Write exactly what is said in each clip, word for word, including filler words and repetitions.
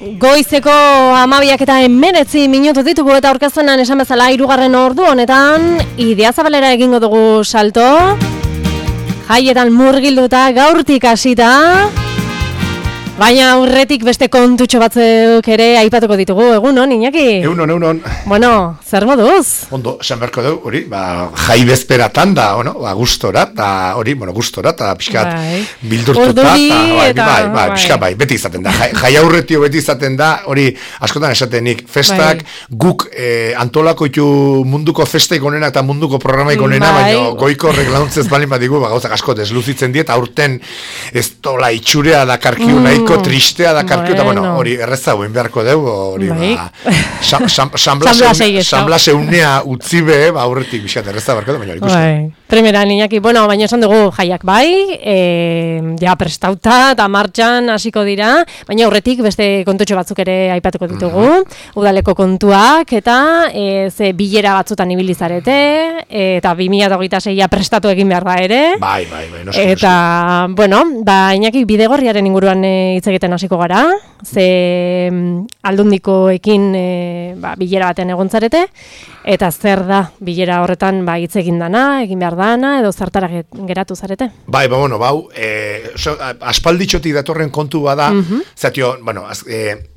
Goizeko hamabiak eta hemeretzi minutu ditugu eta aurkezpenan esan bezala hirugarren ordu honetan Idiazabalera egingo dugu salto. Jaietan murgilduta gaurtik hasita. Baina aurretik beste kontutxo batzuk ere aipatuko ditugu, egunon, Iñaki? Egunon, egunon. Bueno, zer moduz? Ondo, esan beharko dugu, hori, ba, jai bezperatan da, bueno, ba, gustora, da, hori, bueno, gustora, eta pixkat bai. Bildurtuta, Orduri, ta, bai, eta, bai, bai, bai. pixkat, bai, beti izaten da, jai, jai aurretio beti izaten da, hori, askotan esatenik, festak, bai. guk eh, antolakoitu munduko festeik onena eta munduko programaik onena, bai. baina goiko horrek launtzez balin bat digu, ba, gauzak asko desluzitzen diet, aurten ez tola itxurea da karkiu mm. nahiko tristea da karkiu, eta bueno, hori erreza guen beharko dugu, hori, bai. ba, sanblase unea utzi be, ba, aurretik biskat erreza beharko dugu, baina ikusten. Bai. Primera, Iñaki, bueno, baina esan dugu jaiak bai, e, ja prestauta eta martxan hasiko dira, baina aurretik beste kontutxo batzuk ere aipatuko ditugu, mm-hmm. udaleko kontuak, eta e, ze bilera batzutan ibilizarete, eta bi mila hogeita seia prestatu egin behar da ere. Bai, bai, bai, noski, eta, noski. Bueno, ba, Iñaki, Bidegorriaren inguruan e, hitz egiten hasiko gara, ze aldundikoekin e, ba, bilera baten egontzarete, eta zer da bilera horretan ba, hitz egin dana, egin behar dana, edo zertara geratu zarete? Bai, ba, bueno, bau, e, so, aspalditxotik datorren kontu bada, mm-hmm. zatio, bueno, az, e,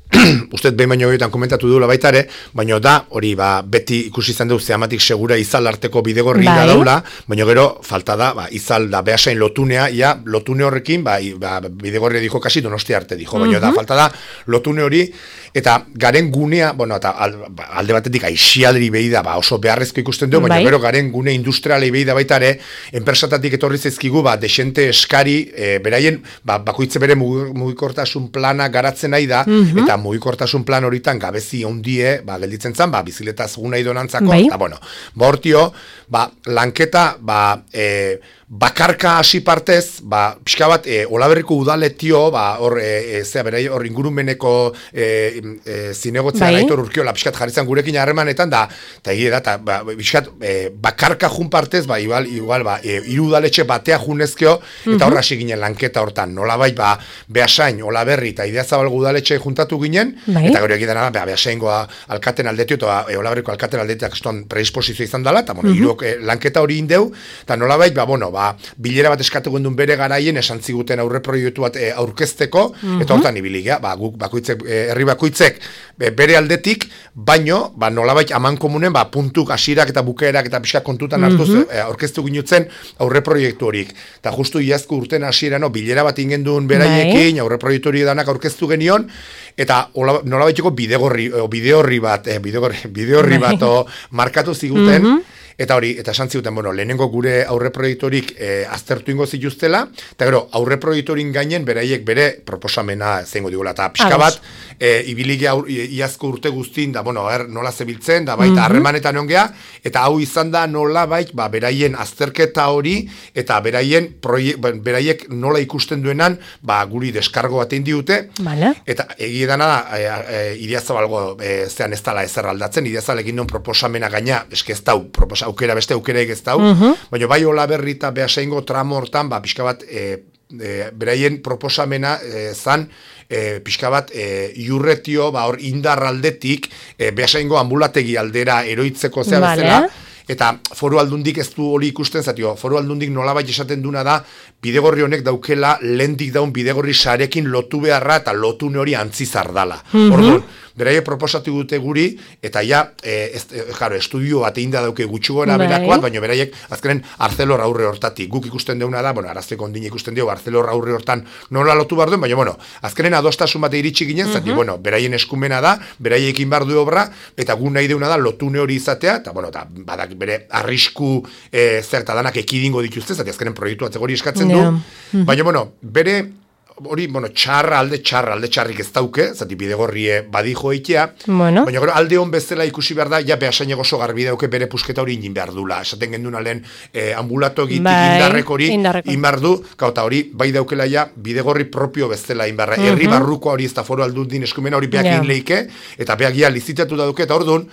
uste behin baino horietan komentatu duela baita ere, baina da, hori ba, beti ikusi izan dugu zeamatik segura izal arteko bidegorri bai. Da daula, baina gero falta da, ba, izal da behasain lotunea, ja, lotune horrekin, ba, ba, bidegorri dijo kasi donosti arte dijo, baina mm-hmm. da, falta da, lotune hori, eta garen gunea, bueno, eta alde batetik aixialri behi da, ba, oso beharrezko ikusten dugu, baina bai. Gero garen gune industrialei behi da baita ere, enpresatatik etorri zaizkigu, ba, desente eskari, e, beraien, ba, bakoitze bere mugikortasun plana garatzen nahi da, mm-hmm. eta mugikortasun plan horitan gabezi ondie, ba, gelditzen zan, ba, bizikletaz guna idonantzako, bai. Eta, bueno, ba, hortio, ba, lanketa, ba, e, bakarka hasi partez, ba, pixka bat, e, Olaberriko udaletio, ba, hor, e, e, zea, berai, hor ingurumeneko e, e, zinegotzea bai. Gaitor urkiola, pixkat jarrizan gurekin harremanetan, da, eta egia da, ta, ba, pixkat, e, bakarka jun partez, ba, igual, igual, ba, e, iru udaletxe batea junezkeo, eta mm-hmm. horra hasi ginen lanketa hortan, nolabait, ba, Beasain, Olaberri, eta Idiazabalgo udaletxe juntatu ginen, bai. Eta gero egiten dara, Beasaingoa alkaten aldetio, eta e, Olaberriko alkaten aldetiak eston predisposizio izan dela, eta, bueno, mm-hmm. iruk, e, lanketa hori indeu, eta nolabait, ba, bueno, ba, bilera bat eskatu gendun bere garaien esan ziguten aurre proiektu bat e, aurkezteko, mm-hmm. eta hortan ibilik, ba, guk bakoitzek, e, herri bakoitzek be, bere aldetik, baino, ba, nolabait aman komunen, ba, puntuk, hasirak eta bukeerak eta pixka kontutan hartuz mm-hmm. e, aurkeztu ginutzen aurre proiektu horik. Eta justu iazko urten hasiera, no, bilera bat ingendun beraiekin, aurre proiektu hori danak aurkeztu genion, eta nolabaiteko bidegorri, o, bideorri bat, e, bidegorri, bideorri bat o, markatu ziguten, mm-hmm. Eta hori, eta esan ziguten, bueno, lehenengo gure aurre proiektorik e, aztertu ingo zituztela, eta gero, aurre proiektorin gainen beraiek bere proposamena zeingo digula, eta pixka bat, e, ibiligi aur, iazko urte guztin, da, bueno, er, nola zebiltzen, da, baita mm-hmm. harremanetan ongea, eta hau izan da nola bait, ba, beraien azterketa hori, eta beraien, proiek, beraiek nola ikusten duenan, ba, guri deskargo batein diute, vale. Eta egia dana da, e, e, Idiazabalgo, e, zean ez dala ezer aldatzen, Idiazabalekin duen proposamena gaina, eske ez dau, proposamena, aukera beste aukeraik ez dau, uh-huh. baina bai Olaberri eta Beasaingo tramo hortan, ba, pixka bat, e, e, beraien proposamena e, zan, e, pixka bat, e, iurretio, ba, hor indar aldetik, e, Beasaingo ambulategi aldera eroitzeko zea vale. Bezala, eta foru aldundik ez du hori ikusten, zatio, foru aldundik nolabait esaten duna da, bidegorri honek daukela, lehendik daun bidegorri sarekin lotu beharra, eta lotune hori antzizar dala. Mm-hmm. Orduan, beraie proposatu dute guri, eta ja, e, ez, e, jaro, estudio bat egin da dauke gutxi gora berakoat, baina beraiek azkenen Arcelor aurre hortatik. Guk ikusten deuna da, bueno, arazteko ondine ikusten dugu, Arcelor aurre hortan nola lotu behar duen, baina, bueno, azkenen adostasun bat iritsi ginen, mm-hmm. zati, bueno, beraien eskumena da, beraiekin behar du obra, eta gu nahi deuna da lotune hori izatea, eta, bueno, eta badak bere arrisku e, zerta danak ekidingo dituzte, zati azkenen proiektu atzegori eskatzen du, yeah. mm-hmm. baina, bueno, bere hori, bueno, txarra alde, txarra alde txarrik ez dauke, zati bidegorrie badijo eitea, bueno. Baina gero alde hon bezala ikusi behar da, ja Beasainek oso garbi dauke bere pusketa hori ingin behar dula, esaten gendun alen eh, ambulato egitik bai, indarrek hori inbar du, eta hori bai daukela ja bidegorri propio bezala inbarra, herri uh-huh. barruko hori ez da foru aldundin eskumena hori beak yeah. inleike, eta beak ja lizitatu da duke, eta orduan,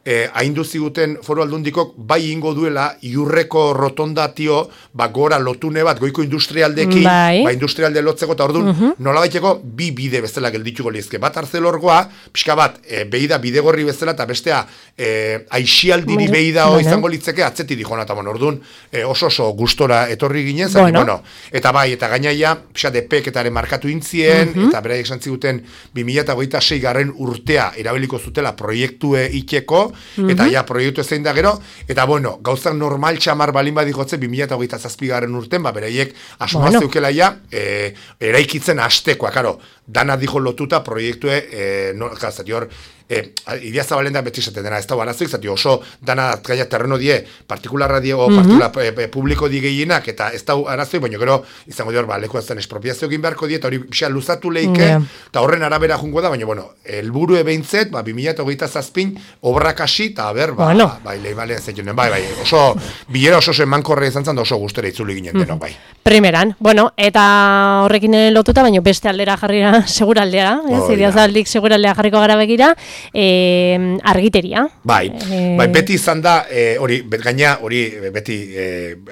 eh, haindu ziguten foru aldundikok bai ingo duela iurreko rotondatio ba gora lotune bat goiko industrialdekin, bai. ba industrialde lotzeko eta orduan, uh -huh. nolabaiteko bi bide bezala geldituko lizke. Bat Arcelorgoa, pixka bat, e, beida bidegorri bezala, eta bestea e, aixialdiri beida bueno. izango litzeke atzeti dijona, eta bueno, orduan e, oso oso gustora etorri ginen, zati, bueno. bueno, eta bai, eta gainaia, pixka depeketaren markatu intzien, uh -huh. eta beraiek zantziguten bi mila hogeita sei garren urtea erabiliko zutela proiektue ikeko, uh-huh. eta ja proiektu zein da gero, eta bueno, gauzak normal txamar balin badikotze bi mila hogeita zazpi garren urten, ba, beraiek asmoa bueno. zeukela ja, e, eraikitzen hastekoa, karo, dana dijo lotuta proiektue, e, no, zati hor, E, Idia Zabalen da beti esaten dena, ez da barazik, zati oso dana gaia terreno die, partikularra die, o mm-hmm. partikular e, publiko di gehienak, eta ez da arazoi, baina gero, izango dior, ba, leku azten espropiazio egin beharko die, eta hori pixan luzatu leike, yeah. eta horren arabera jungo da, baina, bueno, elburu ebeintzet, ba, bi mila hogeita zazpin, obrak hasi, eta ber, ba, bueno. bai, leibalean zeitunen, bai, bai, oso, bilera oso emankorre izan zan, da oso gustera itzuli ginen denok, bai. Primeran, bueno, eta horrekin lotuta, baina beste aldera jarrira seguraldea, ez, oh, Idia Zabaldik seguraldea jarriko gara begira, E, argiteria. Bai, e... bai, beti izan da, e, hori, bet gaina, hori, beti e,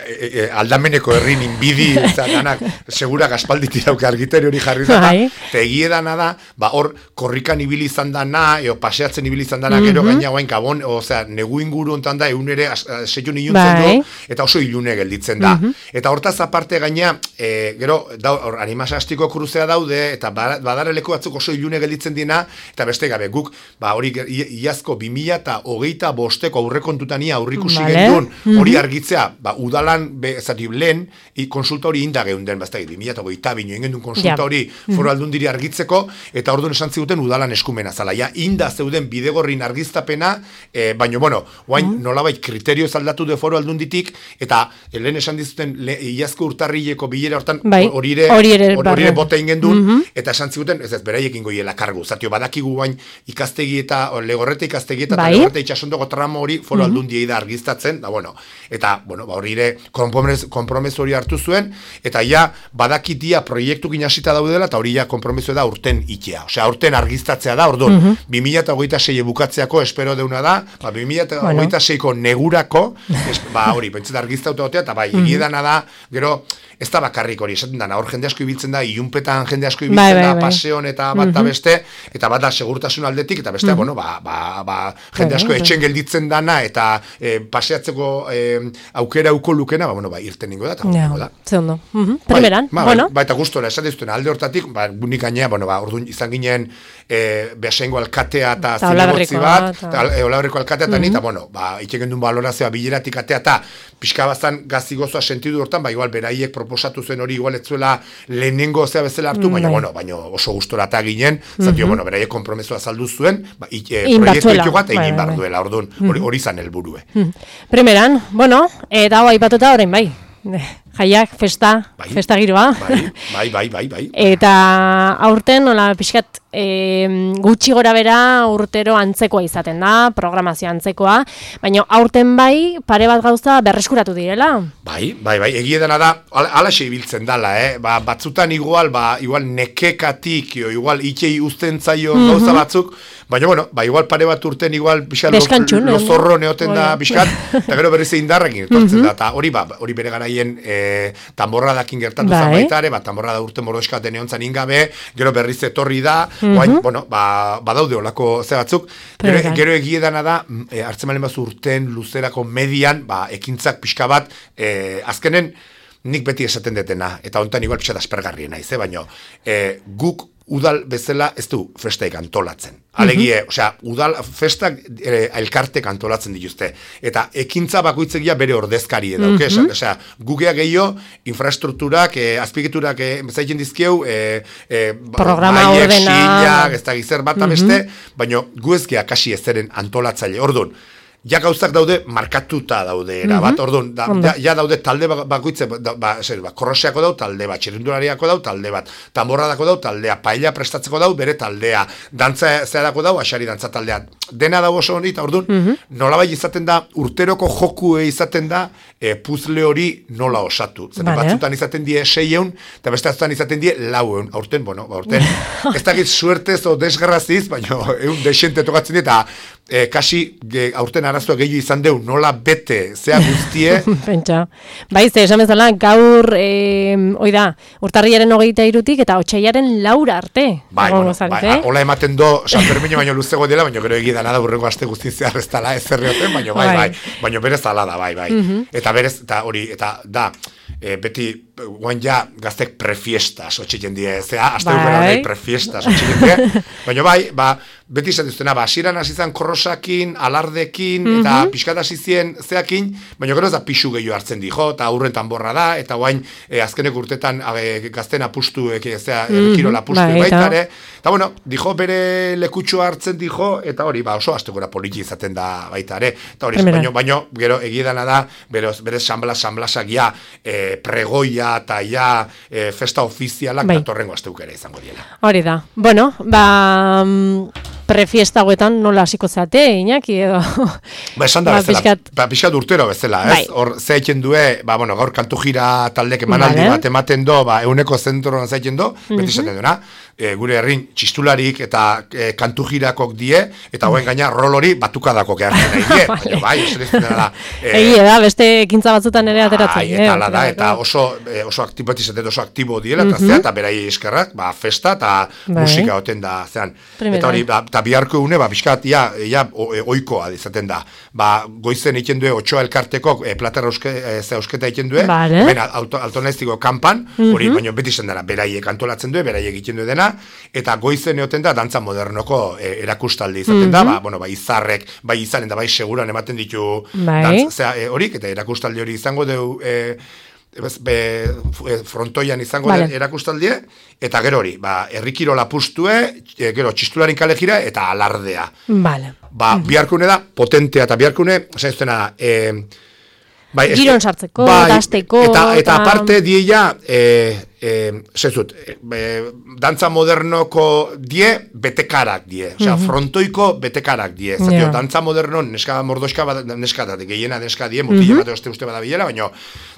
e, e, aldameneko herrin inbidi, danak, segurak aspalditi dauka argiteri hori jarri zata, bai. Eta egie dana da, ba, hor, korrikan ibili izan dana, eo paseatzen ibili izan dana, mm-hmm. gero gaina guain kabon, osea, negu inguru ontan da, egun ere, seion iluntzen bai. du, eta oso ilune gelditzen da. Mm-hmm. Eta hortaz aparte gaina, e, gero, da, hor, animasastiko kruzea daude, eta badareleko batzuk oso ilune gelditzen dina, eta beste gabe, guk, ba, hori iazko bi mila hogeita bosteko aurrekontutania aurrikusi vale. gendun, hori argitzea, ba, udalan, be, zati, lehen, konsulta hori inda geunden, bazta, bi mila hogeita bino, ingendun konsulta hori yeah. foru aldundiri argitzeko, eta orduan esan ziguten udalan eskumena zala, ja, inda zeuden bidegorrin argiztapena, eh, baino, bueno, guain, mm. nolabait kriterio zaldatu de foru aldunditik, eta lehen esan dizuten, le, iazko urtarrileko bilera hortan, bai. hori ere, hori ere bota ingendun, mm -hmm. eta esan ziguten, ez ez, beraiekin goiela kargu, zatio, badakigu guain, ikastegi eta legorrete ikastegi eta bai? legorrete itxasondoko tramo hori foru mm-hmm. aldundiei da argiztatzen, da bueno, eta bueno, ba hori ere konpromeso hori hartu zuen, eta ja badakitia proiektukin hasita daudela, eta hori ja konpromeso da urten itea, osea urten argiztatzea da, orduan, mm-hmm. bi mila hogeita sei bukatzeako espero deuna da, ba bi mila hogeita seiko negurako, es, ba hori, pentseta argiztauta gotea, eta bai, mm-hmm. egiedana da, gero, ez da bakarrik hori, esaten dana, hor jende asko ibiltzen da, ilunpetan jende asko ibiltzen bai, bai, da, bai. paseon eta bat mm-hmm. beste, eta bat da segurtasun aldetik, eta beste, mm-hmm. bueno, ba, ba, ba, jende asko etxen gelditzen dana, eta e, paseatzeko e, aukera uko lukena, ba, bueno, ba, irten ningo da, eta ja, da. Zeondo. Mm-hmm. Primeran, bai, bueno. Ba, eta gustora, esan dizuten, alde hortatik, ba, bunik gainea, bueno, ba, orduan izan ginen, e, behasengo alkatea eta zinegotzi bat, eta olaberriko alkatea eta mm-hmm. nita, bueno, ba, itxeken duen balorazioa bileratik atea, eta pixka bazan gazi gozoa sentidu hortan, ba, igual, beraiek proposatu zuen hori, igual, etzuela lehenengo zea bezala hartu, baina, mm-hmm. bueno, baina oso gustora eta ginen, zatio, mm-hmm. bueno, beraiek kompromesoa saldu zuen, ba, e, proiektu eko bat egin behar duela, orduan, hori mm-hmm. zan helburue. Mm-hmm. Primeran, bueno, eta hau aipatuta orain bai. Jaiak, festa, bai, festa giroa. Bai, bai, bai, bai. Eta aurten, nola, pixkat, e, gutxi gora bera urtero antzekoa izaten da, programazio antzekoa, baina aurten bai, pare bat gauza berreskuratu direla. Bai, bai, bai, egie dena da, alaxe ibiltzen dala, eh? Ba, batzutan igual, ba, igual nekekatik, o, igual itxei uzten zaio mm-hmm. gauza batzuk, baina, bueno, ba, igual pare bat urten, igual, pixkat, lozorro neoten da, pixkat, eta gero berriz egin darrekin, etortzen mm-hmm. da, eta hori, ba, hori bere garaien, e, tamborradakin gertatu bai. zan baitare, ba, tamborrada urte mordoeskaten egon zan ingabe, gero berriz etorri da, mm-hmm. guain, bueno, ba, badaude olako ze batzuk, gero, gero egie dana da, e, hartzen malen bazu urten luzerako median, ba, ekintzak pixka bat, e, azkenen, nik beti esaten detena, eta hontan igual pixat aspergarriena, ize, baino, e, guk udal bezala ez du festaik antolatzen. Alegie, mm-hmm. osea, udal festak e, elkartek antolatzen dituzte. Eta ekintza bakoitzegia bere ordezkari edo, mm-hmm. osea, gukea gehiago, infrastrukturak, e, azpigiturak e, zaiten dizkieu, e, e, programa ordena, ez da gizer bat mm-hmm. beste, baina gu ezkea kasi ezeren antolatzaile. Orduan, ja gauzak daude markatuta daude era bat, mm-hmm. orduan, da, ja, ja daude talde bakoitze, ba, ba, ba, korroseako dau talde bat, txirrindulariako dau talde bat, tamborradako dau taldea, paella prestatzeko dau bere taldea, dantza zeadako dau, asari dantza taldea, dena dago oso honi, eta orduan, mm -hmm. nolabait izaten da, urteroko jokue izaten da, e, puzle hori nola osatu. Zaten vale. Batzutan izaten die seieun, eta beste batzutan izaten die laueun. Aurten, bueno, aurten, ez dakit suertez o desgraziz, baina egun desente tokatzen die, eta e, kasi e, aurten arazoa gehiago izan deu, nola bete, zea guztie. Pentsa. Baize, esan bezala, gaur, e, oida, urtarriaren hogeita irutik, eta otxaiaren laura arte. Bai, bueno, bai, hola ematen do, San Fermino baino luzego dela, baina gero egidana da burreko aste guztien zehar ez dala ez zerrioten, baina bai, bai, baina berez ala da, bai, bai. Mm-hmm. Eta berez, eta hori, eta da, e, beti, guain ja, gaztek prefiestas, otxiten die, zea, azte bai. Bai, prefiestas, otxiten die, baina bai, ba, beti izan duztena, ba, asiran azizan korrosakin, alardekin, mm-hmm. eta pixkat azizien zeakin, baina gero ez da pixu gehiago hartzen di, jo, eta aurren tanborra da, eta guain, e, azkenek urtetan e, gazten apustu, e, zea, mm-hmm. kirola apustu bai, baitare, eta bueno, dijo bere lekutxoa hartzen dijo, eta hori, ba, oso astegura poliki izaten da baitare, eta hori, baino, baino, gero egiedana da, beroz, bere sanblas, sanblasak ja, e, pregoia, eta ja, e, festa ofizialak, bai. Datorrengo asteukera izango diela. Hori da, bueno, ba, prefiesta hauetan nola hasiko zate, Iñaki, edo? Ba, esan da ba, bezala, pixkat... ba, pixkat urtero bezala, ez? Hor, bai. Zeitzen due, ba, bueno, gaur kantu jira taldek emanaldi vale. Bat ematen do, ba, euneko zentroan zeitzen do, mm-hmm. beti esaten duena, e, gure herrin txistularik eta e, kantu jirakok die, eta hoen gaina rol hori batukadako gehartzen nahi die, baina bai, esan da. E, Egie da, beste ekintza batzutan ere ateratzen. Bai, eta ala da, eta oso, e, oso aktibo, oso aktibo diela, eta mm-hmm. zea, eta berai eskerrak, ba, festa eta bai. Musika oten da, zean. Primera. Eta hori, ba, eta biharko une, ba, bizkat, ja, ja, oikoa izaten da. Ba, goizen egiten due, otxoa elkarteko, e, platerra euske, e, ze eusketa egiten due, vale. Bena, altonaiztiko kanpan, hori, mm-hmm. baino beti zen dara, beraiek antolatzen due, beraiek egiten due dena, eta goizen egoten da, dantza modernoko e, erakustaldi izaten mm-hmm. da, ba, bueno, ba, izarrek, bai izanen da, bai seguran ematen ditu, bai. Dantza, e, horik, eta erakustaldi hori izango deu, e, Be, frontoian izango vale. Erakustaldie, eta gero hori, ba, herrikirola pustue, e, gero txistularin kale jira, eta alardea. Vale. Ba, mm. biharkune da, potentea, eta biharkune, oza, ez dena, e, bai, giron sartzeko, bai, dazteko, eta, eta, eta aparte dieia, e, e, zezut, e, dantza modernoko die, betekarak die, osea, mm-hmm. frontoiko betekarak die, zatio, yeah. dantza moderno, neska mordoska, neska, da, gehiena neska die, mutile mm-hmm. bate oste uste badabilela, baina,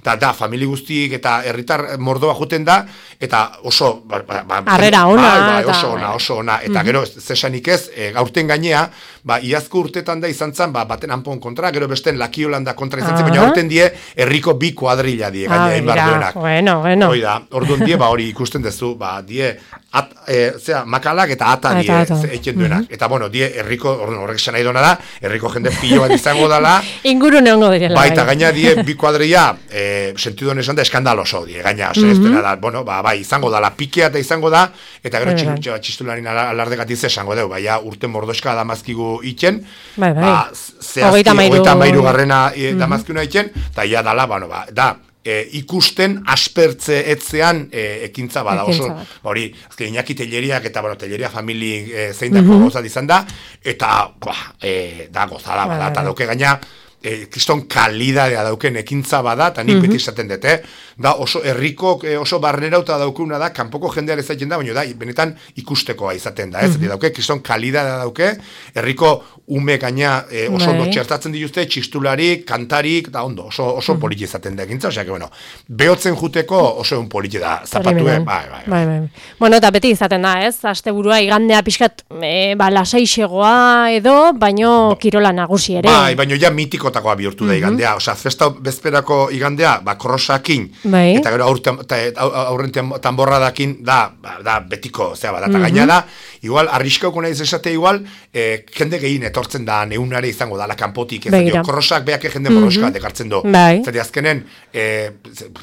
da, da, famili guztiek eta herritar mordoa juten da, eta oso, ba, ba, arrera ona, ba, ba, oso ona, oso ona, eta mm-hmm. gero, zesanik ez, e, gaurten gainea, ba, iazko urtetan da izan zan, ba, baten anpon kontra, gero besten Laki Holanda kontra izan zen, baina gaurten die, herriko bi kuadrilla die, gainea, inbar duenak. Bueno, bueno. Oida, orduan die, ba, hori ikusten dezu, ba, die, at, e, zera, makalak eta ata die, eiken duenak. Mm-hmm. Eta, bueno, die, herriko, orduan, horrek esan nahi dona da, herriko jende pilo bat izango dala. Inguru neongo direla. Ba, eta gaina die, bi kuadrilla, e, sentidu honen esan da, eskandaloso die, gaina, mm-hmm. ez dena da, bueno, ba, bai, izango dala, pikea eta izango da, eta gero txistularin txistularin alardegatiz esango deu, baina urte mordoska damazkigu itzen, bai, bai. Ba, zehazki, ogeita mairu garrena e, mm-hmm. damazkiuna itzen, eta ia dala, bueno, ba, da, E, ikusten aspertze etzean e, ekintza bada oso, hori, azken Iñaki Telleriak eta, bueno, Telleria famili e, zein dako mm-hmm. gozat izan da, eta, ba, e, da, gozada bada, eta dauke gaina, e, kriston kalidadea dauken ekintza bada, eta nik mm-hmm. beti esaten dut, eh? Da, oso herriko, e, oso barnerauta daukuna da, kanpoko jendean ezaiten da, baina da, benetan ikustekoa izaten da, ez? Mm-hmm. Dauke, kriston kalidadea dauke, herriko ume gaina e, oso ondo txertatzen dituzte, txistularik, kantarik, da ondo, oso, oso mm-hmm. politi izaten da ekintza, osea, que, bueno, behotzen juteko oso un politi da, zapatue, bai, bai, bai. bai, bai. Bueno, eta beti izaten da, ez? Asteburua igandea pixkat, e, ba, lasaixegoa edo, baino ba, kirola nagusi ere. Bai, baino ja mitikotakoa bihurtu mm-hmm. da igandea, osea, festa bezperako igandea, ba, korrosakin, bai. Eta gero aurren tamborradakin da, da betiko, zea bat, eta mm-hmm. gaina da, igual, arriskauko nahiz esate igual, eh, jende gehien etortzen da, neunare izango da, la kanpotik, ez da, korrosak beak jende morroska mm-hmm. dekartzen do. Bai. Zati azkenen, eh,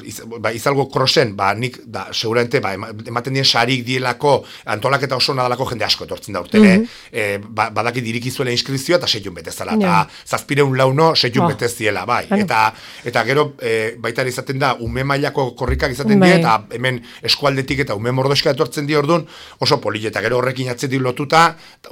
iz, ba, izalgo krosen, ba, nik, da, seguramente, ba, ematen dien sarik dielako, antolaketa oso nadalako jende asko etortzen da urtene, mm-hmm. eh, ba, badaki dirikizuela inskrizioa, eta seiun betezala, eta yeah. zazpireun launo seiun oh. beteziela, bai. Bueno. Eta, eta gero, eh, baita izaten da, ume mailako korrikak izaten bai. Die, eta hemen eskualdetik eta ume mordoska etortzen di orduan, oso poli, eta gero horrekin atzetik lotuta,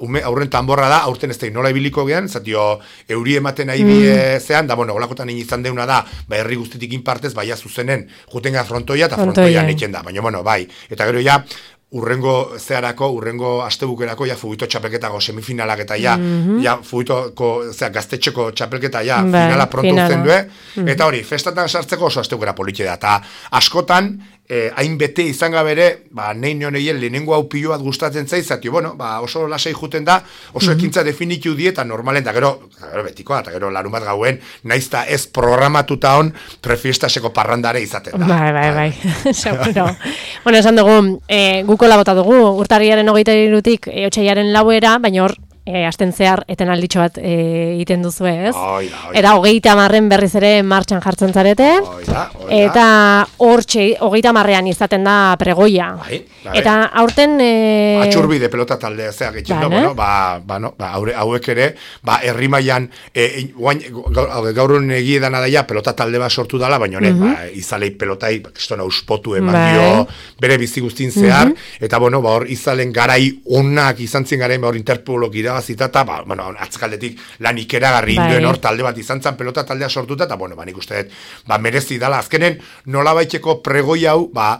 ume, aurren tanborra da, aurten ez da nola ibiliko gean, zatio, euri ematen nahi mm. die zean, da, bueno, olakotan izan deuna da, ba, herri guztitik inpartez, baia zuzenen, jutenga frontoia, eta frontoia neiten da, baina, bueno, bai, eta gero ja, urrengo zeharako, urrengo astebukerako, ja, fugito txapelketako semifinalak eta ja, mm-hmm. ja, fugitoko, zera, gaztetxeko txapelketa, ja, ba, finala pronto uzten due, mm-hmm. eta hori, festatan sartzeko oso astebukera politxe da, eta askotan, eh, hain bete izan gabere, ba, nein neoneien lehenengo hau pilo bat gustatzen zaizat, bueno, ba, oso lasai juten da, oso mm-hmm. ekintza definitu die, eta normalen, eta gero, gero betikoa, eta gero larun bat gauen, naizta ez programatuta on, prefiestaseko parrandare izaten da. Bai, bai, bai, seguro. Bueno, esan dugu, eh, guk kolabota dugu, urtarriaren hogeita irutik e, otxaiaren lauera, baina hor, e, asten zehar eten alditxo bat egiten duzu ez. Oida, oida. Eta hogeita marren berriz ere martxan jartzen zarete. Oida, oida. Eta hor hogeita marrean izaten da pregoia. Bai, bai. Eta aurten... E... Atxurbide pelota taldea zeak etxen da, bueno, ba, ba, no, ba, hauek ere, ba, herri mailan, e, guain, gaur honen egiedana daia, pelota talde bat sortu dala, baina honek, mm-hmm. ba, izalei pelotai, kistona uspotu eman bai. dio, bere bizi guztin zehar, mm-hmm. eta, bueno, ba, hor izalen garai onak izan zien garain, ba, hor Interpolok irabazita, eta, ba, bueno, atzakaldetik lan ikeragarri bai. induen hor talde bat izan zen, pelota taldea sortuta, eta, bueno, ba, nik uste dut, ba, merezi dala, azkenen, nola baiteko pregoi hau, ba,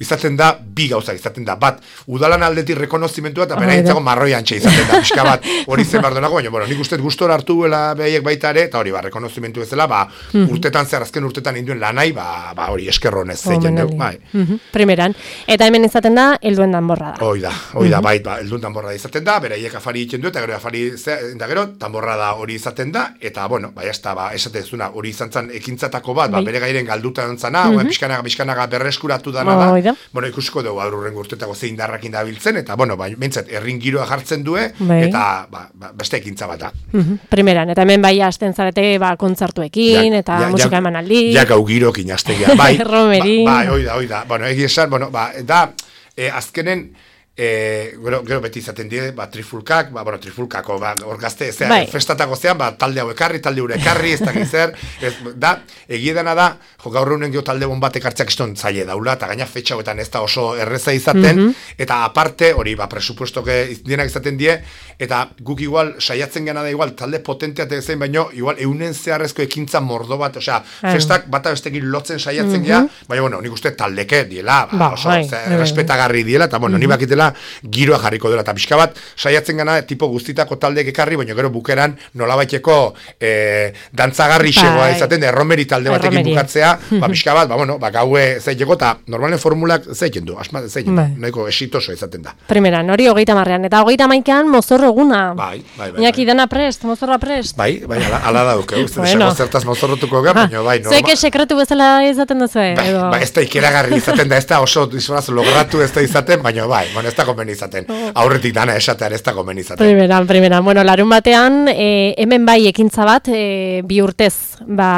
izaten da, bi gauza izaten da, bat, udalan aldetik rekonozimentua, eta bera hitzago marroi antxe izaten da, pixka bat, hori zen bardonako, baina, bueno, nik uste gustora hartu duela behaiek baita ere, eta hori, ba, rekonozimentu ezela, ba, mm-hmm. urtetan zer, azken urtetan induen lanai, ba, ba hori, eskerronez zeiten deu, bai. Mm-hmm. Primeran, eta hemen izaten da, helduen danborrada. Hoi da, hoi da, mm-hmm. bai, ba, helduen danborrada izaten da, beraiek afari egiten du, eta gero afari, eta gero, danborrada hori izaten da, eta, bueno, bai, hasta, ba, esate zuna, hori izan zan ekintzatako bat, ba, bere gairen galduta dantzana, mm-hmm. pixkanaga, pixkanaga berreskuratu dana da, oh, bueno, ikusiko dugu aurrengo urtetako zein darrakin dabiltzen, eta, bueno, ba, bentsat, errin giroa jartzen due, bai. eta, ba, ba, beste ekintza bat da. Mm-hmm. Primeran, eta hemen bai hasten zarete, ba, kontzertuekin, ja, eta ja, musika ja, emanaldi. Ja, gau girok inastegia, bai. Romeri. Ba, bai, oida, oida. Bueno, egi esan, bueno, ba, da, eh, azkenen, E, gero, gero beti izaten die, ba, trifulkak, ba, bueno, trifulkako, ba, hor gazte, zera, bai. festatako zean, ba, talde hau ekarri, talde hau ekarri, ez dakiz zer, ez, da, egiedana da, jo, gaur egunen geho talde bon batek hartzeak iston zaile daula, eta gaina fetxa hauetan ez da oso erreza izaten, mm-hmm. eta aparte, hori, ba, presupuestoke dienak izaten die, eta guk igual, saiatzen gana da igual, talde potenteat ezein, baino, igual, eunen zeharrezko ekintza mordo bat, osea, mm. festak bata bestekin lotzen saiatzen mm-hmm. gea, baina, bueno, nik uste taldeke diela, ba, ba, oso, bai, ze, bai, respetagarri diela, eta, bueno, mm-hmm. ni bakitela, giroa jarriko dela, eta pixka bat saiatzen gana tipo guztitako taldeek ekarri, baina gero bukeran nolabaiteko e, dantzagarri xegoa izaten, erromeri talde batekin bukatzea, ba pixka bat, ba bueno, ba gaue zeiteko, eta normalen formulak zeiten du, asma zeiten du, nahiko exitoso izaten da. Primeran, hori hogeita marrean, eta hogeita maikean mozorro eguna. Bai, bai, bai. Iñaki dana prest, mozorroa prest. Bai, bai, ala, ala dauke, uste, bueno. zertaz mozorrotuko gara, baina bai, normal. Zeke sekretu bezala izaten duzu, bai, edo? Bai, ez da ikeragarri izaten da, ez da oso disfraz logratu ez da izaten, baina bai, bueno, ez da konbeni izaten. Aurretik dana esatean ez da gomen izaten. Primeran, primeran. Bueno, larun batean, e, hemen bai ekintza bat, e, bi urtez, ba,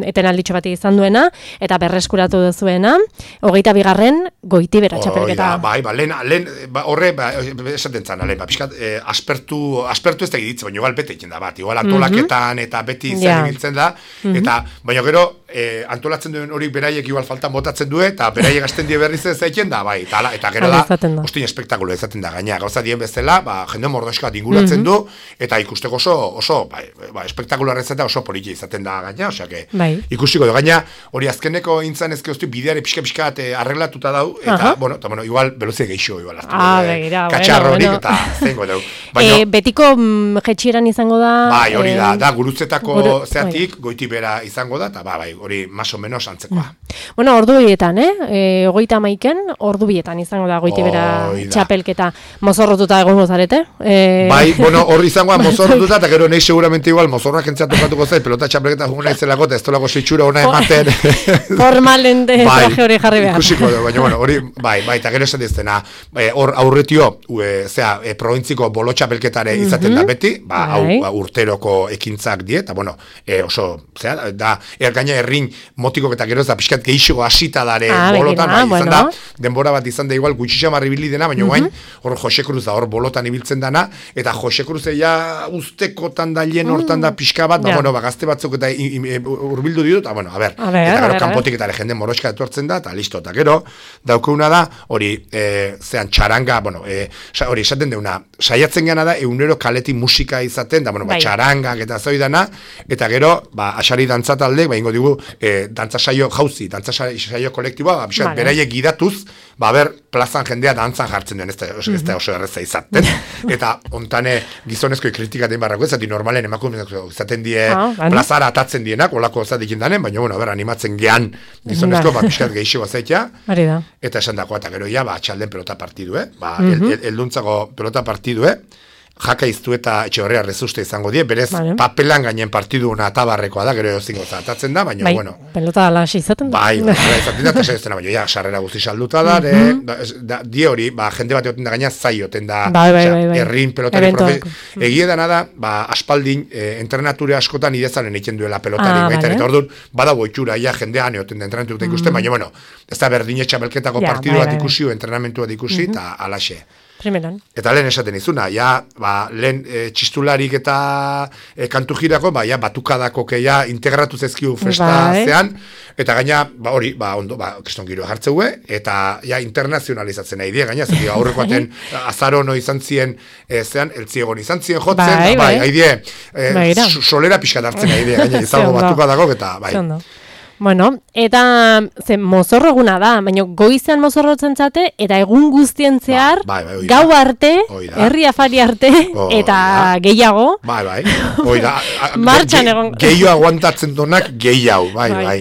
eten alditxo bat izan duena, eta berreskuratu duzuena, hogeita bigarren, Goitibera txapelketa. Oh, bai, ba, lehen, lehen, ba, horre, ba, esaten zan, lehen, ba, pixkat, e, aspertu, aspertu ez da egitze, baina igual bete egiten da bat, igual antolaketan mm-hmm. eta beti izan yeah. ibiltzen da, mm-hmm. eta, baina gero, e, antolatzen duen hori beraiek igual faltan botatzen du, eta beraiek asten die berriz ez egiten da, bai, eta, eta gero da, ostin espektakulo izaten da, gaina, gauza dien bezala, ba, jende mordoska inguratzen mm-hmm. du, eta ikusteko oso, oso, bai, ba, espektakularra izatea oso poliki izaten da gaina, osea, que, bai. ikusiko du, gaina, hori azkeneko intzan ezke oztu bideare pixka-pixka arreglatuta dau, eta, uh-huh. bueno, eta, bueno, igual, beluzia geixo, igual, hartu, ah, begira, katxarro bueno, horik, bueno. eta zengo dau. Baina, e, betiko mm, jetxieran izango da... Bai, hori da, eh, da, gurutzetako guru, zeatik, bai. Goitibera izango da, eta, ba, bai, hori, más o menos antzekoa. Mm. Bueno, ordu bietan, eh? E, ogeita maiken, ordu bietan izango da Goitibera txapelketa. Mozorrotuta egongo zarete? E... Bai, bueno, hor izangoa mozorrotuta, eta gero nahi seguramente igual, mozorrak entzatu katuko zait, pelota txapelketa jugun nahi zelako, eta ez tolako zitsura hona ematen. Formalen de bai, traje hori jarri behar. Ikusiko, baina, bueno, hori, bai, bai, eta gero esan diztena, hor aurretio, zera, e, provintziko bolo txapelketare izaten mm-hmm. da beti, ba, bai. hau urteroko ekintzak die, eta, bueno, e, oso, zera, da, er gaina errin motikok eta gero ez da, pixkat gehiago asita dare ah, bolotan, bai, bueno. izan da, denbora bat izan da igual gutxitxa marribili dena, baina guain, mm-hmm. hor Jose Cruz da, hor bolotan ibiltzen dana, eta Jose Cruz ja ustekotan da lehen hortan da pixka bat, ba, yeah. bueno, ba, gazte batzuk eta urbildu ditut, eta, bueno, a ber, a ber eta gero kanpotik eta jende moroska etortzen da, eta listo, eta gero, daukeuna da, hori, e, zean txaranga, bueno, e, hori esaten deuna, saiatzen gana da, eunero kaleti musika izaten, da, bueno, ba, txarangak eta zoidana, eta gero, ba, asari dantzatalde, ba, ingo digu, e, dantza saio jauzi, dantza saio kolektiboa, ba, vale. beraiek gidatuz, ba, ber, plazan jendea dantzan jartzen duen, ez da, ez da oso erreza izaten, eta ontane gizonezkoi kritikaten barrako, ez zati normalen emakumeak izaten die ah, plazara atatzen dienak, olako zatik indanen, baina, bueno, ber, animatzen gehan gizonezko, ba, pixkat gehiago zaitea, eta esan dagoa, eta gero, ja, ba, txalden pelota partidue, ba, mm-hmm. el, elduntzako pelota partidue, jaka iztu eta Etxeberria rezuste izango die, berez vale. Papelan gainen partidu una atabarrekoa da, gero ezingo zatatzen da, baina, bai, bueno. Pelota ala izaten da. Bai, bai, izaten da, eta esaten da, baina, ja, sarrera guzti salduta da, mm-hmm. da, da, die hori, ba, jende bat egoten da gaina zai oten da, bai, bai, bai, bai. Errin pelotari profe... Mm. Egie dana da, ba, aspaldin, eh, entrenature askotan idezaren egiten duela pelotari, ah, baita, vale. Eta orduan, badago itxura, ja, jendean egoten da entrenatuta ikusten, mm. baina, bueno, ez da berdin etxabelketako ja, partidu bai, bat ikusi, bai, bai. Entrenamentu bat ikusi, eta mm-hmm. alaxe. Primeran. Eta lehen esaten izuna, ja, ba, lehen e, txistularik eta e, kantu jirako, ba, ja, batukadako keia integratu zezkiu festa bai. Zean, eta gaina, ba, hori, ba, ondo, ba, kriston giro hartzeue, eta, ja, internazionalizatzen nahi die, gaina, zeki, aurrekoaten azarono izan zien, e, zean, eltziegon izan zien jotzen, bai, bai, bai, haidie, e, solera pixkat hartzen nahi die, gaina, izango batukadako, eta, bai. Bueno, eta ze mozorro eguna da, baina goizean mozorrotzen zate, eta egun guztien zehar, ba, bai, bai, gau arte, herri afari arte, eta gehiago. Bai, bai, oida, martxan egon. Gehiago aguantatzen donak gehiago, bai, bai. bai.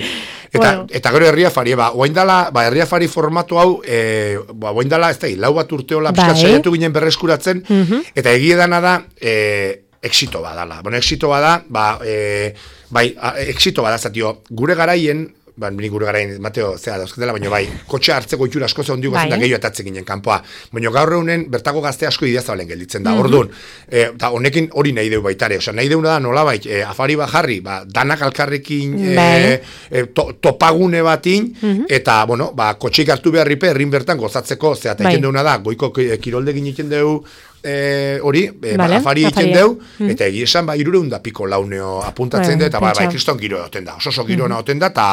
Eta, bueno. Eta gero herria fari, ba, oaindala, ba, herria fari formatu hau, e, ba, oaindala, ez da, lau bat urteola, bai. Piskat saiatu ginen berreskuratzen, mm-hmm. Eta egie dana da, e, exito badala. Bueno, exito bada, ba, e, bai, exito bada, zatio, gure garaien, ba, ni gure garaien, Mateo, zera dauzketela, baina bai, kotxe hartzeko itxura asko zeon diugu zen da gehiago atatzen ginen kanpoa. Baina gaur eunen, bertako gazte asko ideazabalen gelditzen da, mm-hmm. Orduan, e, eta honekin hori nahi deu baitare, osea, nahi deuna da nola bai, e, afari bajarri, ba, danak alkarrekin e, e, to, topagune batin, mm-hmm. Eta, bueno, ba, kotxeik hartu beharripe, herrin bertan gozatzeko, zera, eta egiten deuna da, goiko kiroldegin egiten deu, Eh, hori, eh, vale, ba, afari egiten deu, mm. Eta egia esan, ba, irureun da piko launeo apuntatzen bueno, dut, eta ba, bai, kriston giro egoten da, oso oso giro mm. egoten da, ta,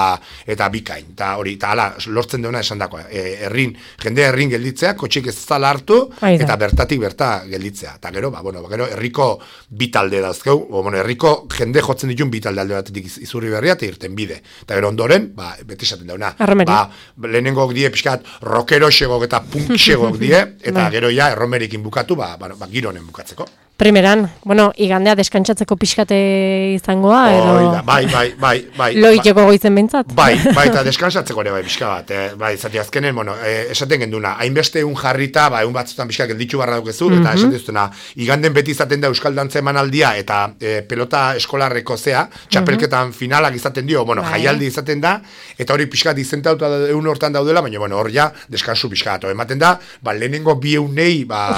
eta bikain, eta hori, eta ala, lortzen deuna esan dakoa, e, errin, jende errin gelditzea, kotxik ez zala hartu, Aida. Eta bertatik berta gelditzea, eta gero, ba, bueno, ba, gero, herriko bitalde dauzkeu, o, bueno, herriko jende jotzen ditun bitalde alde batetik izurri berria, eta irten bide, eta gero ondoren, ba, beti esaten dauna, ba, lehenengok die, pixkat, rockero xegok eta punk xegok die, eta gero ja, erromerikin bukatu, ba, Bueno, ba, giro honen bukatzeko. Primeran, bueno, igandea deskantsatzeko pixkate izangoa, edo... Oida, bai, bai, bai, bai. Loiteko goizen bentsat. Bai, bai, eta deskantsatzeko ere bai, pixka bat, eh, bai, zati azkenen, bueno, eh, esaten genduna, hainbeste egun jarrita, ba, egun batzutan pixka gelditu barra dukezu, mm-hmm. Eta esaten duztuna, iganden beti izaten da Euskal Dantza emanaldia, eta eh, pelota eskolarreko zea, txapelketan mm-hmm. Finalak izaten dio, bueno, bai. Jaialdi izaten da, eta hori pixka dizentauta egun hortan daudela, baina, bueno, hor ja, deskansu pixka bat, ematen da, ba, lehenengo bi eunei, ba,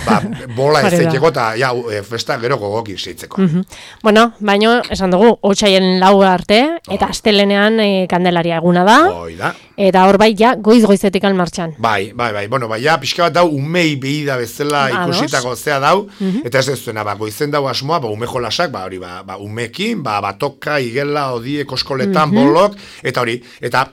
ba, bola ez zeiteko, eta ja, e, festa gero gogoki zeitzeko. Mm-hmm. Bueno, baino, esan dugu, otsaien lau arte, eta oh. Astelenean e, Kandelaria eguna da. Oida. Eta hor bai, ja, goiz-goizetik almartxan. Bai, bai, bai, bueno, bai, ja, pixka bat dau, umei behi da bezala ba, ikusitako zea dau, mm-hmm. Eta ez ez zuena, ba, goizen dau asmoa, ba, ume jolasak, ba, hori, ba, ba umekin, ba, batoka, igela, odie, koskoletan, mm-hmm. Bolok, eta hori, eta...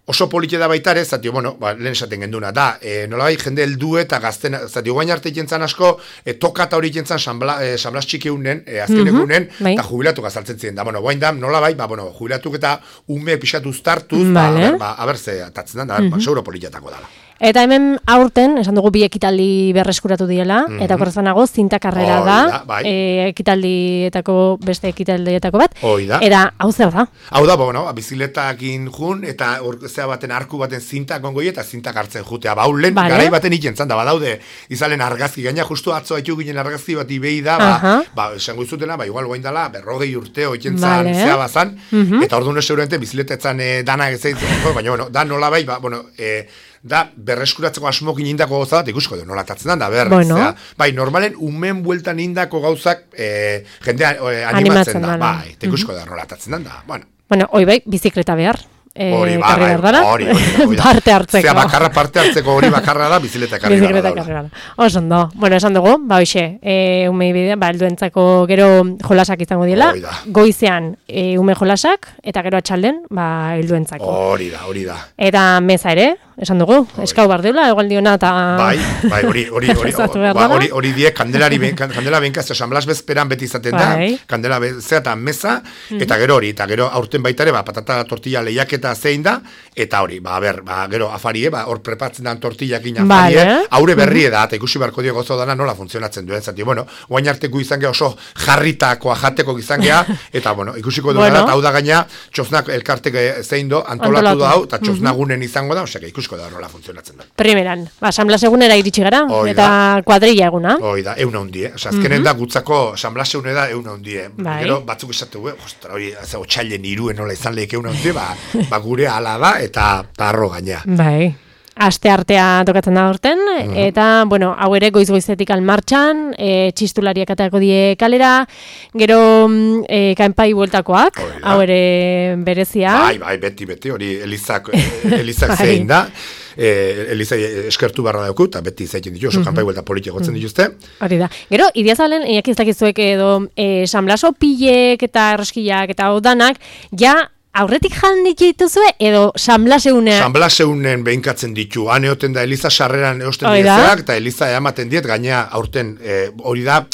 Oso polite da baita ere, zati, bueno, ba, lehen esaten genduna, da, e, nolabai jende heldu eta gazten, zati, guain arte jentzan asko, e, toka eta hori jentzan sanbla, e, sanblas txiki unen, e, azkenek mm-hmm, unen, bai. Eta jubilatu gazaltzen ziren, da, bueno, guain da, nolabai, ba, bueno, jubilatuk eta ume pixatu uztartuz, vale. Ba, ba, abertze, atatzen da, mm-hmm. Ba, seguro politetako dala. Eta hemen aurten, esan dugu bi ekitaldi berreskuratu diela, mm-hmm. Eta korrezanago zintakarrera oh, da, da bai. e, ekitaldietako, beste ekitaldietako bat, Oida. Eta hau zeu da? Hau da, bueno, biziletakin jun, eta zea baten arku baten zintak ongoi, eta zintak hartzen jutea, ba, ulen, vale. Garai baten ikentzan da, badaude, izalen argazki, gaina justu atzo haitu ginen argazki bat ibei da, ba, uh-huh. Ba, esango izutena, ba, igual guain dala, berrogei urteo ikentzan vale. Zea bazan, mm-hmm. Eta orduan seguramente biziletetzan e, dana gezeitzen, baina, bueno, da nola bai, ba, bueno, e, da, berreskuratzeko asmokin indako gauza bat, ikusko du, nola tatzen da, ber, bueno. Zera, bai, normalen umen bueltan indako gauzak e, jendea e, animatzen, animatzen da, da, bai, ikusko mm-hmm. Da, nola tatzen da, bueno. Bueno, hoi bai, bizikleta behar. Hori, ba, bai, hori, hori, parte hartzeko. Zea, bakarra parte hartzeko hori bakarra da, bizileta karri gara. Bizileta karri gara. Oso ondo. Bueno, esan dugu, ba, hoxe, e, ume bidea, ba, elduentzako gero jolasak izango diela. Goizean, e, ume jolasak, eta gero atxalden, ba, elduentzako. Hori da, hori da. Eta meza ere, esan dugu, eskau bar deula, egual diona eta... Bai, bai, hori, hori, hori, ba, hori, hori die, kandelari, kandela benkaz, San Blas bezperan beti izaten da, bai. Kandela bezea eta meza, mm-hmm. eta gero hori, eta gero aurten baitare, ba, patata tortilla lehiaketa zein da, eta hori, ba, ber, ba, gero afarie, ba, hor prepatzen dan tortillakin afarie, vale. Aure berrie da, eta ikusi barko dio gozo dana nola funtzionatzen duen, zati, bueno, guain arteko izan geha oso jarritakoa jateko izan geha, eta, bueno, ikusiko dugu bueno. Da, hau da gaina, txosnak elkartek zein do, antolatu da hau, eta txosnagunen izango da, osea, ikusko da nola funtzionatzen da. Primeran, ba, San Blas egunera iritsi gara, Oida. Eta kuadrilla eguna. Hoi da, euna hundie. Osa, azkenen mm-hmm. da gutzako San Blas egune da euna hundie. Bai. Gero, batzuk esatu, eh, ostra, hori, otxailen iruen nola izan lehik euna hundie, ba, ba gure ala da, eta tarro gaina. Bai. Aste artea tokatzen da horten, mm-hmm. eta, bueno, hau ere goiz-goizetik almartxan, e, txistulariak atako die kalera, gero e, kanpai bueltakoak, hau ere berezia. Bai, bai, beti, beti, hori Elizak, Elizak bai. Zein da, e, Eliza eskertu barra dauku, eta beti zaiten ditu, oso mm-hmm. kanpai buelta politik gotzen dituzte. Hori da. Gero, idiazalen, iak ez dakizuek edo, e, San Blaso pilek eta erroskillak eta odanak, ja, aurretik jan dituzue edo San Blas egunean? San Blas egunen behinkatzen ditu. Han eoten da Eliza sarreran eosten diezeak, eta Eliza ematen diet, gaina aurten hori e, da,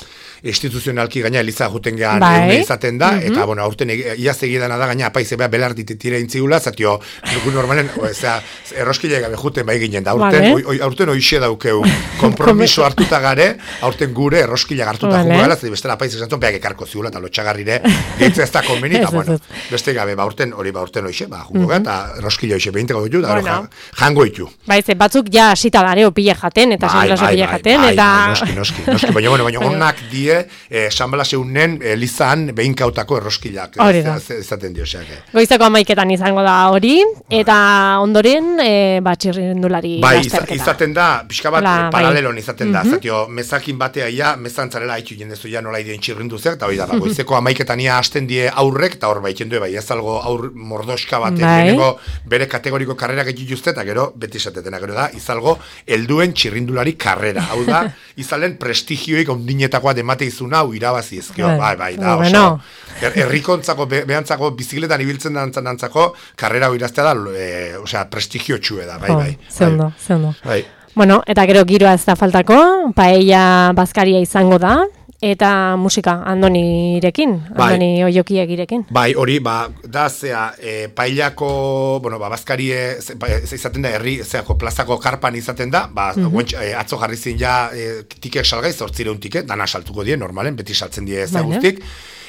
instituzionalki gaina Eliza juten gehan bai. Izaten da, mm-hmm. eta bueno, aurten iaz egidana da, gaina apaize beha belar dititire intzigula, zatio, nuku normalen, ozera, erroskile gabe juten bai ginen da, aurten, vale. oi, aurten oixe daukeu, kompromiso hartuta gare, aurten gure erroskile hartuta vale. Jugala, zati bestela apaize zantzon, beak ekarko ziula, eta lotxagarrire, geitze ez da konbeni, eta bueno, beste gabe, ba, aurten, hori ba, aurten oixe, ba, jungo mm-hmm. eta erroskile oixe behinteko ditu, da, bueno. Jango ditu. Baize, batzuk ja asita gareo pila jaten, eta San Blas pila jaten, eta... Noski, noski, noski, baina, bueno, baina, onak die, Eh, San Blas eunen Elizan behinkautako erroskilak ezaten dio xeak. Goizeko amaiketan izango da hori, eta ondoren e, batxirrindulari bai, lasterketa. Izaten da, pixka bat Ola, paralelon izaten bai. Da, mm-hmm. zatio, mezakin batea ia, mezantzarela haitu jendezu ja nola ideen txirrinduzeak, eta hori da, mm-hmm. goizeko amaiketan ia hasten die aurrek, eta hor baitzen du, bai, ez algo aur mordoska baten, bai. Bere kategoriko karrera gehiu juzte, eta gero, beti esatetena, gero da, izalgo, helduen txirrindulari karrera, hau da, izalen prestigioik ondinetakoa demate izuna, hau irabazi ezkio, bai, bai, da, oso, er, errikontzako, be, behantzako, bizikletan ibiltzen dantzan dantzako, karrera hau iraztea da, e, osea, prestigio txue da, bai, bai. Oh, zeundo, bai. zeundo. Bai. Bueno, eta gero giroa ez da faltako, paella bazkaria izango da, eta musika Andonirekin, bai. Andoni Oiokiegirekin. Bai, hori, ba, da, zea, e, paellako, bueno, ba, bazkarie, ze, ba, ze izaten da, herri, zeako, plazako karpan izaten da, ba, mm-hmm. guentx, e, atzo jarri zin ja, e, tikek salgai, zortzireun tiket, dana saltuko die, normalen, beti saltzen die zea guztik.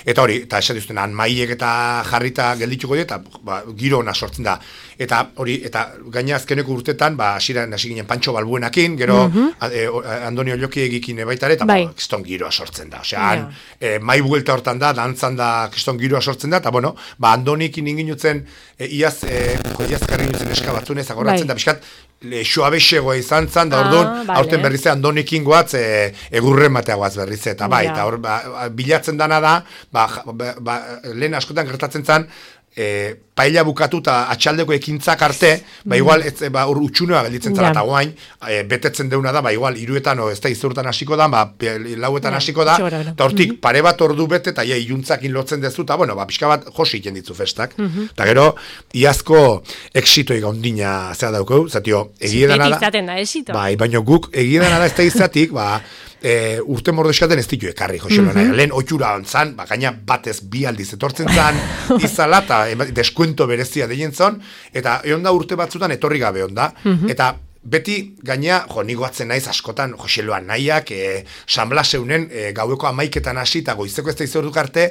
Eta hori, eta esan duzten, han maiek eta jarrita geldituko die, eta ba, giro ona sortzen da. Eta hori, eta gaina azkeneko urtetan, ba, asiran hasi ginen Pantxo Balbuenakin, gero mm-hmm. a, e, Andoni Ollokiegikin baitare, eta bai. Ba, kiston giroa sortzen da. Osea, han, yeah. e, mai buelta hortan da, dantzan da, kiston giroa sortzen da, eta bueno, ba, Andonikin inginutzen, e, iaz, e, iaz karri nutzen eskabatzunez, agoratzen bai. Da, biskat, xoabexegoa izan zan, da orduan, ah, vale. Aurten berrize Andonikin goatz, e, egurren batea goaz berrize, eta bai, eta hor, ba, bilatzen dana da, ba, ba, ba, lehen askotan gertatzen zan, e, paella bukatu eta atxaldeko ekintzak arte, ba igual, ez, ba, ur utxunea gelditzen zara, eta guain, e, betetzen deuna da, ba igual, iruetan, o, ez da izurtan hasiko da, ba, lauetan hasiko da, eta hortik, mm-hmm. pare bat ordu bete, eta ja, iluntzakin lotzen dezu, eta, bueno, ba, pixka bat josi iten ditzu festak, eta mm-hmm. gero, iazko exitoi gaundina zera daukau, zatio, egidana da, da bai, baina guk, egidana da ez da izatik, ba, E, urte mordeskaten ez ditu ekarri, Joselo, mm-hmm. lehen otxura ontzan, ba, gaina batez bi aldiz etortzen zan, izala, eta deskuento berezia deien zon, eta egon da urte batzutan etorri gabe onda, mm-hmm. eta beti gaina, jo, nigoatzen naiz askotan, Joseloan nahiak, e, San Blas eunen, e, gaueko amaiketan hasi, eta goizeko ez da izorduk arte,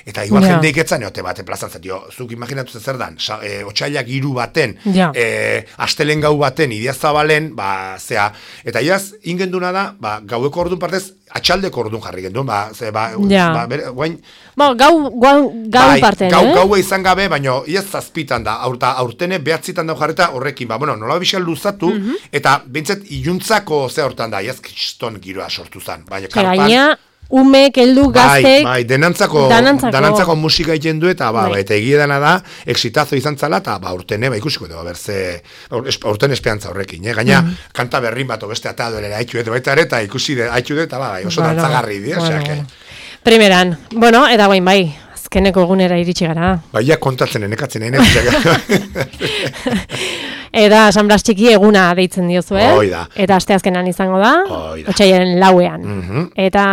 eta igual yeah. jende iketzan, eote bat, plazan zatio, zuk imaginatu zer dan, sa, e, otxailak hiru baten, yeah. e, astelen gau baten, idiazabalen, ba, zea, eta iaz, ingenduna da, ba, gaueko ordun partez, atxaldeko ordun jarri gendun, ba, ze, ba, yeah. ba, bere, guain, Bo, gau, gau, gau bai, parten, gau, eh? Gaua izan gabe, baina iaz zazpitan da, aurta, aurtene behatzitan da jarreta horrekin, ba, bueno, nola bizal luzatu, mm-hmm. eta bintzet iluntzako ze hortan da, iaz kiston giroa sortu zan, baina karpan... Gaina, umek, heldu, gaztek... Bai, bai, denantzako, danantzako. danantzako musika egiten du, eta ba, bai. Ba, eta egiedana da, exitazo izan zala, eta ba, urtene, ba, ikusiko dugu, berze, urten esperantza horrekin, eh? Gaina, mm-hmm. kanta berrin bat, beste eta duelera haitu edo, baita ere, eta ikusi de, haitu de, eta ba, oso bueno, dantzagarri, di, bueno, bueno. Primeran, bueno, eta guain bai, azkeneko egunera iritsi gara. Baia kontatzen enekatzen, enekatzen. Eta San Blas txiki eguna deitzen diozu, eh? Hoi da. Eta asteazkenan izango da, Hoi da. otsailaren lauean. Mhm. Eta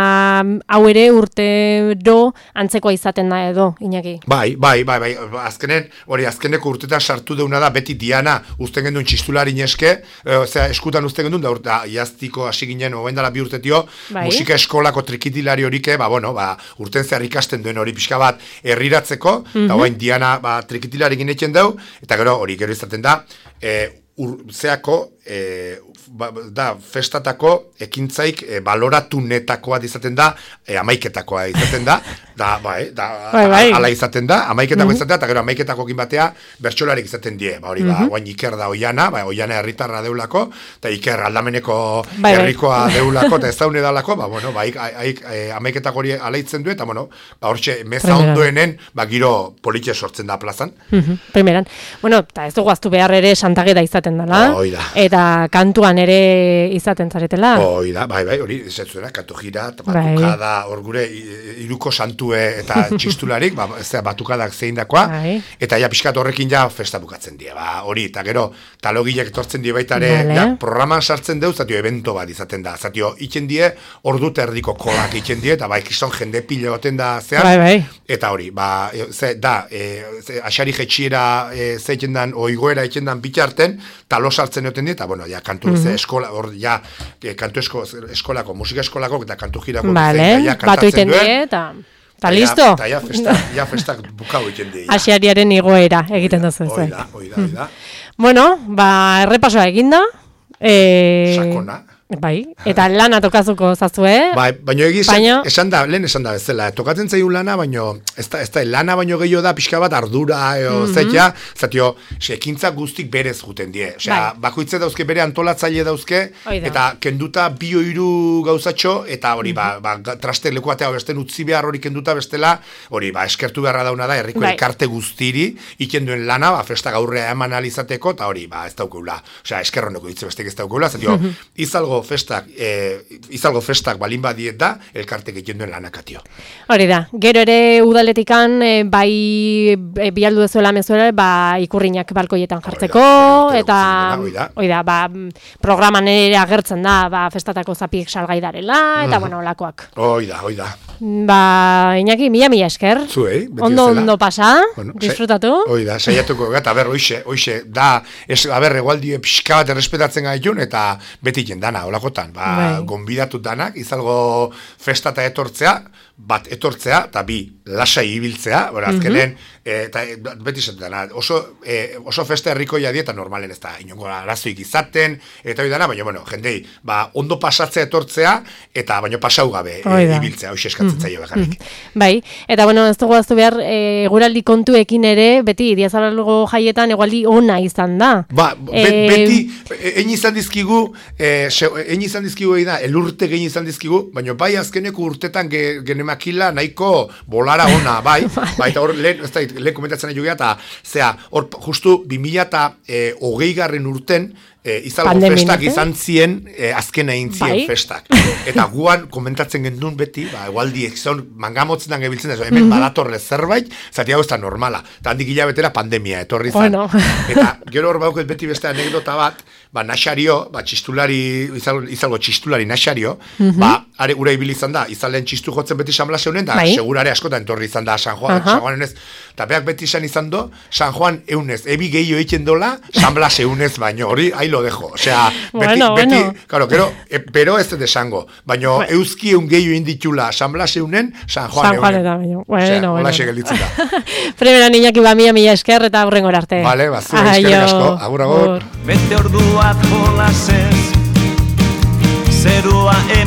hau ere urtero antzekoa izaten da edo, Iñaki. Bai, bai, bai, bai, azkenen, hori azkeneko urtetan sartu deuna da, beti Diana uzten genduen txistulari neske, e, osea, eskutan uzten genduen, da, da jaztiko hasi ginen, ogendala bi urtetio, Bai. musika eskolako trikitilari horike, ba, bueno, ba, urten zehar ikasten duen hori pixka bat herriratzeko, Mhm. eta oain Diana, ba, trikitilari ginetzen dau, eta gero, hori gero izaten da, e, ur, zeako, e, ba, da, festatako ekintzaik e, baloratunetakoa izaten da, e, amaiketakoa izaten da, da, bai, da, Bai, bai. ala izaten da, amaiketako Mhm. izaten da, eta gero amaiketakokin batea bertsolarik izaten die, ba, hori, ba, Mhm. guain Iker da oiana, ba, oiana herritarra deulako, eta Iker aldameneko Bai, bai. herrikoa deulako, eta ez daune dalako, ba, bueno, ba, aik, aik, e, amaiketako hori alaitzen du, eta, bueno, ba, hortxe, meza Primeran. ondoenen, ba, giro politxe sortzen da plazan. Mhm, primeran. Bueno, eta ez dugu aztu behar ere santageda izaten dela. Hoi da. Eta kantuan ere izaten zaretela. Hoi da, bai, bai, hori, ez zuena, kantu gira, eta Bai. batukada, hor gure, i- iruko santue eta txistularik, ba, ez da, batukadak zein dakoa, Bai. eta ja pixkat horrekin ja festa bukatzen die, ba, hori, eta gero, talogilek etortzen die baita ere, Vale. ja, programan sartzen deu, zatio, evento bat izaten da, zatio, itzen die, ordu eta erdiko kolak itzen die, eta bai, kriston jende pile goten da zean, Bai, bai. eta hori, ba, e, ze, da, e, ze, asari jetxiera e, zeiten dan, oigoera itzen dan bitarten, talo sartzen egoten die, eta, bueno, ja, kantu, Mhm. ze eskola, hor, ja, e, kantu esko, eskolako, musika eskolako, eta kantu girako, Vale, zein, ja, batu kantatzen iten duen, die, eta... Eta ja- listo? Eta ja, festa, ja festak bukau egiten die. ja. Asiariaren igoera egiten duzu Hoi zen. da, hoi da, hoi da. Bueno, ba, errepasoa eginda. E... Sakona. Bai, eta lana tokazuko zazue. Bai, baino egiz, Baino- esan da, lehen esan da bezala, tokatzen zaigu lana, baino, ez da, ez da, lana baino gehiago da, pixka bat ardura, eo, Mhm. zetia, zatio, ekintza guztik berez juten die. Osea, Bai. bakoitze dauzke bere antolatzaile dauzke, Hoi da. eta kenduta bi hiru gauzatxo, eta hori, ba, ba, traste leku batea besten utzi behar hori kenduta bestela, hori, ba, eskertu beharra dauna da, herriko Bai. elkarte guztiri, iken duen lana, ba, festa gaurrea eman alizateko, eta hori, ba, ez daukeula. Osea, eskerroneko hitz bestek ez daukeula, zatio, izalgo festak, e, izalgo festak balin badiet da, elkartek egiten duen lanakatio. Hori da, gero ere udaletikan e, bai e, bialdu dezuela mezuela, ba, ikurriñak balkoietan jartzeko, Hori da, eta hori da. hori da, ba, programan ere agertzen da, ba, festatako zapiek salgai darela, eta bueno, olakoak. Hoi da, hoi da. Ba, Iñaki, mila mila esker. Zuei, beti Ondo, bezala. ondo pasa, Bueno, disfrutatu. Hoi da, saiatuko gata, ber, hoixe, hoixe, da, ez, aber, egualdie pixka bat errespetatzen gaitun, eta beti jendana, olakotan, ba, Bai. gonbidatu danak, izalgo festa eta etortzea, bat etortzea, eta bi, lasai ibiltzea, bora, azkenen, e, eta e, beti esaten dana, oso, e, oso festa herrikoia dieta normalen ez da, inongo arazoik izaten, eta hori dana, baina, bueno, jendei, ba, ondo pasatzea etortzea, eta baino pasau gabe e, Hoi da. ibiltzea, hoxe eskatzen zaio bakarrik. Bai, eta bueno, ez dugu aztu behar, e, eguraldi kontuekin ere, beti, diazabalgo jaietan egualdi ona izan da. Ba, be, Eh, beti, egin izan dizkigu, eh, egin izan dizkigu egin da, elurte egin izan dizkigu, baina bai azkeneko urtetan ge, genemakila nahiko bolara ona, bai, bai, eta hor, lehen, ez da, lehen komentatzen nahi jugea, eta, zera, hor, justu, bi mila eta hogei garren urten, e, izalgo Pandemian, festak eh? izan zien, e, azkena egin zien Bai. festak. Eta guan komentatzen gendun beti, ba, egualdi, zon, mangamotzetan gebiltzen ez, hemen badatorre zerbait, zati hau ez da normala. Eta handik hilabetera pandemia etorri zan. Bueno. Eta gero hor bauket beti beste anekdota bat, ba, naxario, ba, txistulari, izalgo, izalgo txistulari naxario, ba, are ura ibili izan da, izalen txistu jotzen beti San Blas eunen, da, Bai. segurare askotan etorri izan da San Juan, Aha. San Juan eunez, eta beak beti izan izan do, San Juan eunez, ebi gehiago egiten dola, San Blas eunez baino, hori, ahí lo dejo, osea, beti, Bueno, beti, bueno. claro, gero, e, pero ez dut esango, baino, Bueno. euski eun gehiago inditxula San Blas eunen, San Juan San eunen. Juan eta baino. Bueno, Osea, bueno. hola gelditzen da. Primera Iñaki, ba, mila mila esker eta aurrengora arte. Vale, ba, zu, eskerrik Aio. asko. Agur, agur. Agur. Bete orduak jolasez, zerua hemen